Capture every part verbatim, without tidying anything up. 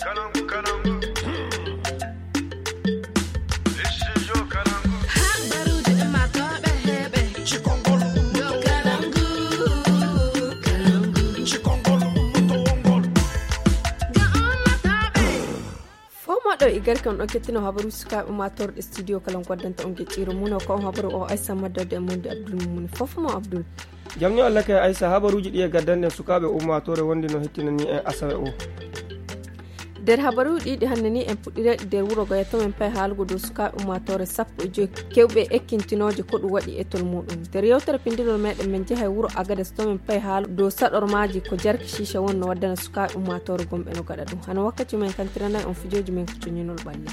Habaruuji ummaatooɓe heɓe. Cikongol ummoto. Cikongol ummoto wongol. Ga ummaatooɓe. Fof moɗo e garke on ɗon kettino habaruuji sukaaɓe ummaatooɓe studio kala on goddanta on geƴƴiiro mum o ko on habaru o Aissa Maddorde e Mondi Abdul Mumuni fof mo Abdul. Jam ni Allah kay Aissa, habaruuji ɗi e gaddanɗen sukaaɓe ummaatoore wonde no hettinani en asawe o. Nder habaruuji ɗiɗi hannde ni en puɗɗirayɗi nder wuro Gaya to men pay haalugo dow sukaaɓe ummaatoore sappo e joy kewɓe ekkintinooje ko ɗum waɗi e tol muɗum. Nder yewtere pinndinol meɗen men njahay wuro Agades to men pay haalu dow saɗormaaji ko jarki ciica won no waddana sukaaɓe ummaatoore gomɓe no gaɗa ɗum. Hano wakkati men kantiranay on fijooji men ko coñinol ɓalli.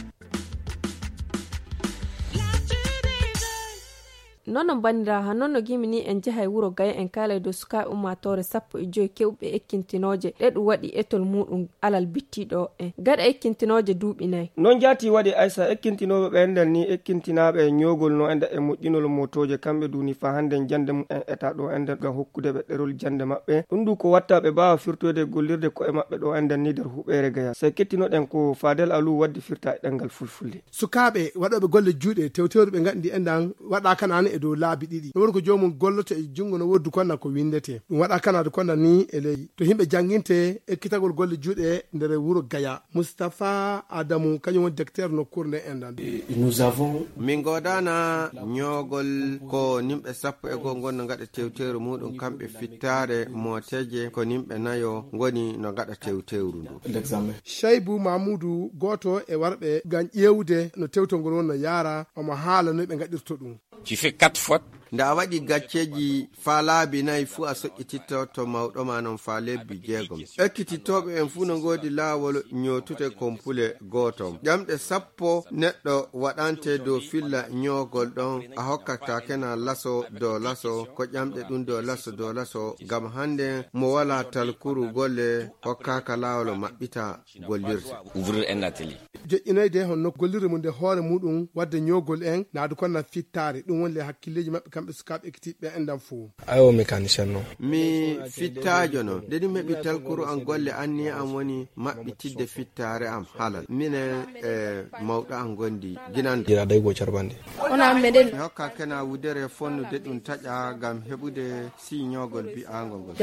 Noon no mbandiraa, haa noon no gimi ni en njahay wuro Gaya en kaalay dow sukaaɓe ummaatoore sappo e joy kewɓe ekkintinooje ɗe ɗum waɗi etol muɗum alal bittiiɗo en. Gaɗa ekkintinooje duuɓi nayi. Noon jaati waɗi Aissa ekkintinooɓe ɓe enɗan ni ekkintinaaɓe e ñoogol no enɗa e moƴƴinol mootooje kamɓe duuni faa hannden jannde mum en eta ɗo enɗan ngam hokkude ɓe ɗerol jannde maɓɓe. Ɗum du ko watta ɓe mbaawa firtoyde gollirde ko'e maɓɓe ɗo enɗan ni nder huɓeere Gaya. Sey kettinoɗen ko Fadel Alou waddi firta e ɗemngal fulfulde. Sukaaɓe waɗooɓe golle juuɗe tewtewri ɓe ngaɗndi enɗan waɗa kanaane e dow laabi ɗiɗi. No woni ko joomum golloto e junngo no woddu konna ko winndete. Ɗum waɗa kanaade konna ni e ley. To yimɓe jannginte ekkitagol golle juuɗe nder wuro Gaya. Moustapha Adamou, kañum woni directeur nokkuure nde enɗan. Nous avons min ngoodana ñoogol ko nimɓe sappo e goo ngon no ngaɗa tewtewri muɗum kamɓe fittaare mooteeje ko nimɓe nayo ngoni no ngaɗa tewtewru ndu. L'examen. Shaibou Mamoudou, gooto e warɓe ngam ƴeewde no tewtol ngol woni no yaara, omo haala no ɓe ngaɗirto ɗum. Tu fais quatre fautes. Nde a waɗi gacceeji faa laabi nayi fuu a soƴƴititto to mawɗo ma non faa lebbi jeegom. Ekkitittooɓe en fuu no ngoodi laawol ñootude kompule gooto. Ƴamɗe sappo neɗɗo waɗante dow filla ñoogol ɗon a hokkata kena laso dow laso ko ƴamɗe ɗum dow laso dow laso ngam hannde mo walaa talkuru golle hokkaaka laawol maɓɓita gollirde. Ouvrir un atelier. Joƴƴinoyde honno gollirde mum nde hoore muɗum wadde ñoogol en naadu konna fittaare ɗum woni le hakkilleeji maɓɓe kamɓe sukaaɓe ekkitiiɓe enɗan fof. Ayo mécanicien non. Mi fittaajo non. Nde ɗum heɓi talkuru an golle anniya an woni maɓɓitidde fittaare am halal. Minen e mawɗo an gondi ginande. Jira day go carbande. Ona meɗen. Mi hokka kena wudere fonnude ɗum taƴa ngam heɓude si ñoogol bi'aangol ngol.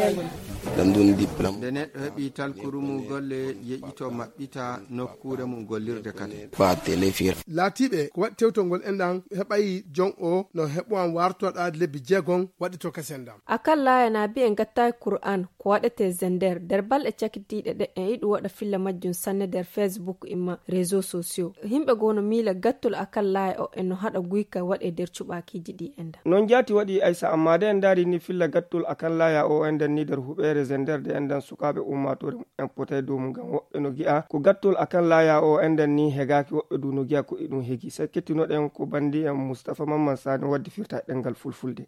Ɗam ɗum diplôme. Nde neɗɗo heɓi talkuru mum golle yeƴito maɓɓita nokkuure mum gollirde kadi. Fa télé fir. Laatiiɓe ko waɗi tewtol ngol enɗan heɓayi jon o no heɓowan wartoɗa lebbi jeegom waɗi to kasen ɗam. Akalla yana bi en gattaaki Kur'an ko waɗetee Zender nder balɗe cakitiiɗe ɗe en iɗu waɗa filla majjum sanne nder Facebook imma réseaux sociaux. Yimɓe goo no miila gattol akalla o en no haɗa guyka waɗe nder cuɓaakiiji ɗi enɗan. Noon jaati waɗi Aysa, ammaa de en ndaari ni filla gattol akalla o enɗan ni nder huɓeere Zender de enɗan sukaaɓe ummaatoore en potay dow mum ngam woɓɓe no gi'a ko gattol akalla o enɗan ni hegaaki, woɓɓe du no gi'a ko iɗum hegi. Sey kettinoɗen ko bandi en Mustafa Mamman Sani waddi firta e ɗemngal fulfulde.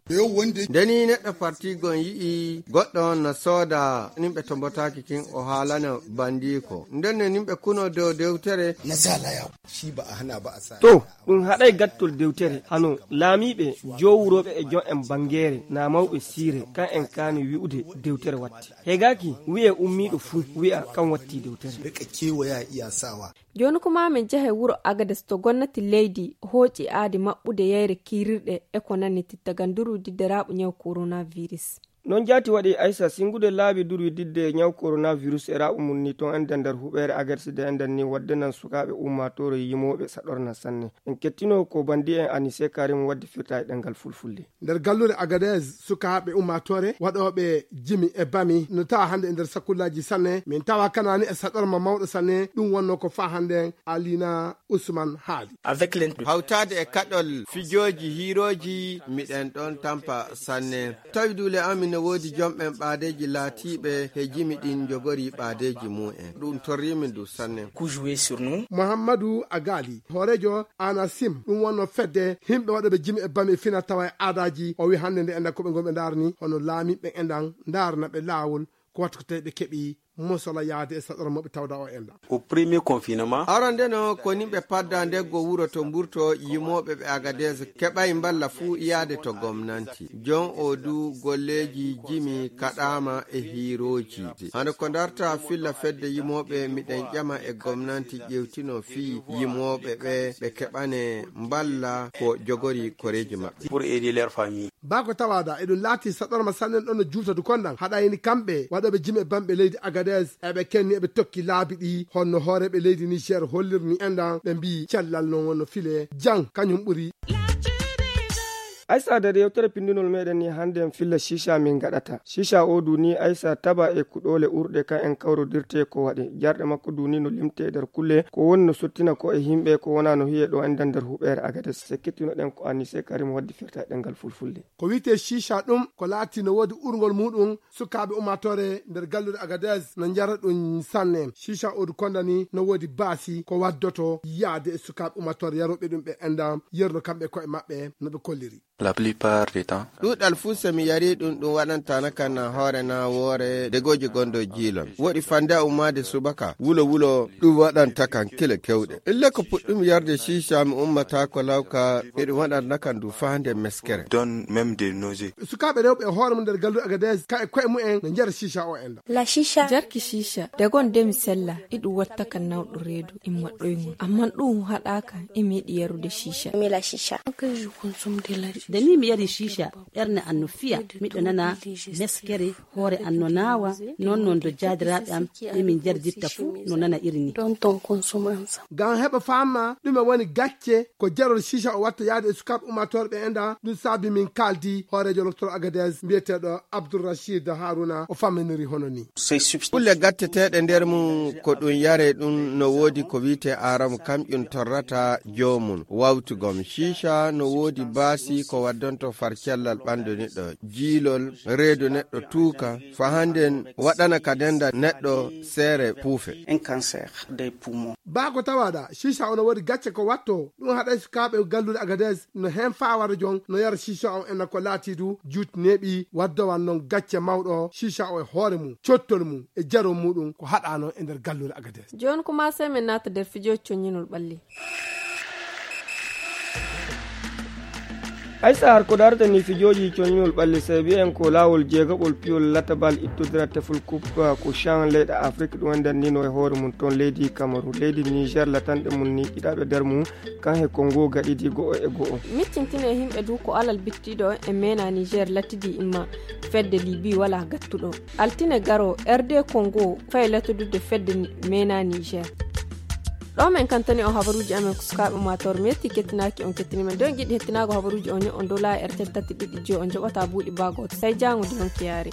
Ndeni neɗɗo parti gon yi'i goɗɗo on no sooda nimɓe to mbotaaki kin o haalana bandiiko. Nden ne nimɓe kuno dow dewtere. To ɗum haɗay gattol dewtere hano laamiiɓe, jowurooɓe e jon en bangeere naa mawɓe siire kan en kaani wi'ude dewtere watti. Hegaaki wi'e ummiiɗo fuu wi'a kan watti dewtere. Jooni kuma min njahay wuro Agades to gonnati leydi hooƴi aadi maɓɓude yayre kiirirɗe e ko nanni tittagal nduru didderaaɓu ñaw coronavirus. Noon jaati waɗi Aysa singude laabi durwi didde ñaw coronavirus e raaɓu mum ni toon enɗan nder huɓeere Agades de enɗan ni wadde nan sukaaɓe ummaatoore yimooɓe saɗorna sanne. En kettino ko bandi en Anise Karim waddi firta e ɗemngal fulfulde. Nder gallure Agadez sukaaɓe ummaatoore waɗooɓe jimi e bami no tawa hannde e nder sakullaaji sanne. Min tawa kanaani e saɗorma mawɗo sanne. Ɗum wonno ko faa hannde Alina Usman haali. Hawtaade e kaɗol fijooji hiirooji miɗen ɗoon tampa sanne. Tawi duule amin no woodi jomɓen ɓaadeeji laatiiɓe he jimi ɗin njogorii ɓaadeeji mum en. Ɗum torriimin ɗum sanne. Muhammadu Agali hooreejo Anasim ɗum wonno fedde himɓe waɗooɓe jimi e bami fina tawa e aadaaji o wi hannde nde enɗan ko ɓe ngonɓe ndaarani hono laamiiɓe enɗan ndaarana ɓe laawol ko wattu ko tawi ɓe keɓi mosola yaade e saɗora maɓɓe tawda o enɗa. Au premier confinement, arande no ko nimɓe padda ndeggo wuro to mburto yimooɓe ɓe Agadez keɓay mballa fuu yaade to gomnanti. Jon o du golleeji jimi kaɗaama e hiirooji. Hano ko darta filla fedde yimooɓe miɗen ƴama e gomnanti ƴewtino fii yimooɓe ɓe ɓe keɓane mballa ko jogori koreeji maɓɓe. Pour aider leur famille. Baa ko tawaada eɗum laati saɗorma sannen ɗon no juuta du kondan haɗa hini kamɓe waɗooɓe jimi e bamɓe leydi Agadez eɓe kenni eɓe tokki laabi ɗi honno hooreeɓe leydi Niger hollirni enɗan ɓe mbii cellal non wonno file jan kañum ɓuri. Aysa nder yewtere pindunol meɗen ni hannde en filla shisha min gaɗata shisha o duni aysa taba e kuɗole urɗe kan en kawrodirte ko waɗe jarɗe makko duni no limte e nder kulle ko woni no sottina ko e himɓe ko wona no hiye ɗo enɗan nder huɓere Agades sekkitino ɗen ko Anise Karim waddi firta e ɗengal fulfulde. Ko wiyte shisha ɗum ko laati no woodi urngol muɗum sukaaɓe ummaatoore nder galluure Agadez no njara ɗum sanne. Shisha odu kondani no woodi baasi ko waddoto yaade e sukaaɓe ummaatoore yarooɓe ɗum ɓe enɗam yerno kamɓe koye maɓɓe no ɓe kolliri. La plupart des temps. Ɗuuɗal fuu so mi yari ɗum ɗum waɗanta na kan na hoore na woore degooji gonɗo jiilon woɗi fande a ummaade subaka wulo wulo ɗum waɗanta kan kile kewɗe ille ko puɗɗum yarde shisha mi ummata ko lawka miɗum waɗatna kan du faa nde meskere. Donne même des nausées. Sukaaɓe rewɓe e hoore mum nder galluɗo Agadez ka e koye mumen no njara shisha o enɗa. La shisha. Jarki shisha dagon de mi sella iɗum watta kan nawɗo reedu imma ɗoyngol amman ɗum haɗaka imi yiɗi yarude shisha. Mi la shisha. Nde ni mi yari shisha ɓernde an no fiya miɗo nana meskere hoore an no naawa non non do jaadiraaɓe am ɓe min jarditta fuu no nana iri ni. Ngam heɓa faama ɗume woni gacce ko jarol shisha o watta yaade e sukaaɓe ummaatoore ɓe enɗa ɗum saabi min kaaldi hooreejo loktoro Agadez mbiyeteeɗo Abdourachid Haruna o famminiri hono ni. Kulle gatteteeɗe nder mum ko ɗum yare ɗum no woodi ko wiyte aram kamƴum torrata joomum wawtugom shisha no woodi baasi ko waddonto far cellal ɓandu neɗɗo jiilol reedu neɗɗo tuuka fa hannden waɗana ka denda neɗɗo seere puufe. Un cancer des poumons. Baa ko tawaɗa shisha ono woodi gacce ko watto ɗum haɗay sukaaɓe gallude Agadez no heen faa wara jon no yara shisha on enna ko laati du juuti neeɓi waddowan noon gacce mawɗo shisha o e hoore mum cottol mum e jaro muɗum ko haɗa noon e nder gallude Agadez. Jooni ko maa sey min naata nder fijooji coññinol ɓalli. Aysa har ko darata ni fijooji coññinol ɓalli sey mbiyen ko laawol jeegaɓol piyol latabal ittodira tefol coupe ko chan leyɗe Afrique ɗum en dannino e hoore mum toon leydi Kamaru leydi Niger latanɗe mum ni ɗiɗaɓe nder mum kan he Kongo gaɗidi go'o e go'o. Miccintine e yimɓe du ko alal bittiɗo e mena Niger latidi imma fedde Libi wala gattuɗo. Altine garo R D Congo fay latodude fedde mena Niger. Ɗo men kantani on habaruuji amen ko sukaaɓe mator metti kettinaaki on kettini men don giɗi hettinaago habaruuji on on dola e R T L tati ɗiɗi je on joɓata buuɗi baagoto sai jango di on kiyaare.